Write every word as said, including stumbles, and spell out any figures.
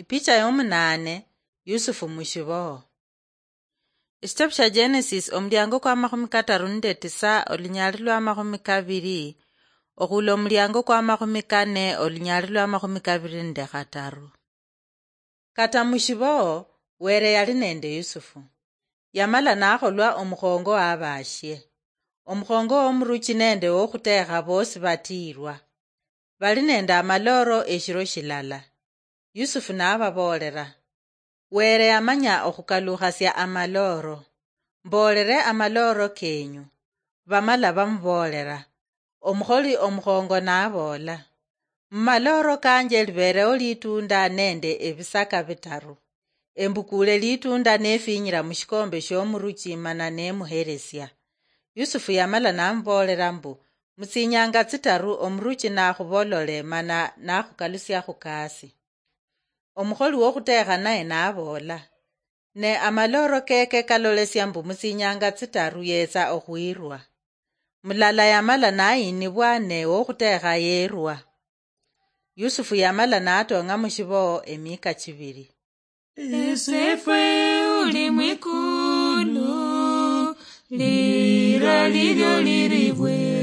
Ipicha yomunaane, Yusufu mushiboho. Ekitabu shia Genesis, omulyango kwa makhumi kataru nende tisa, olunyali lwa makhumi kabiri, okhula omulyango kwa makhumi kane, olunyali lwa makhumi kabiri nende khataru. Kata mushiboho, Were yali nende Yusufu. Yamala nakholwa omukhongo wa baashie. Omukhongo womuruchi nende wokhutekha bosi batiirwa. Bali nende amaloro eshiro shilala. Yusufu nababoolera, "Were yamanya okhukalukhasia amaloro. Mboolere amaloro kenyu." Bamala bamuboolera. Omukholi omukhongo naboola, "Mumaloro kanje liberewo litunda nende ebisaka bitaru. Embukule litunda nefinyira mushikombe shiomuruchi mana nemuheresia." Yusufu yamala namuboolera mbu, "Mutsinyanga tsitaru omuruchi nakhubolole mana nakhukalusia khukasi." Omukholi wokhutekha naye naboola, "Ne amaloro keke kalolesia mbu mutsinyanga tsitaru yetsa okhwirwa." Mulala yamala nayinibwa ne wokhutekha yerwa. Yusufu yamala natong'a mushiboho emika chibiri. Ese fwe uli mwikulu, lira lilyo liribwe.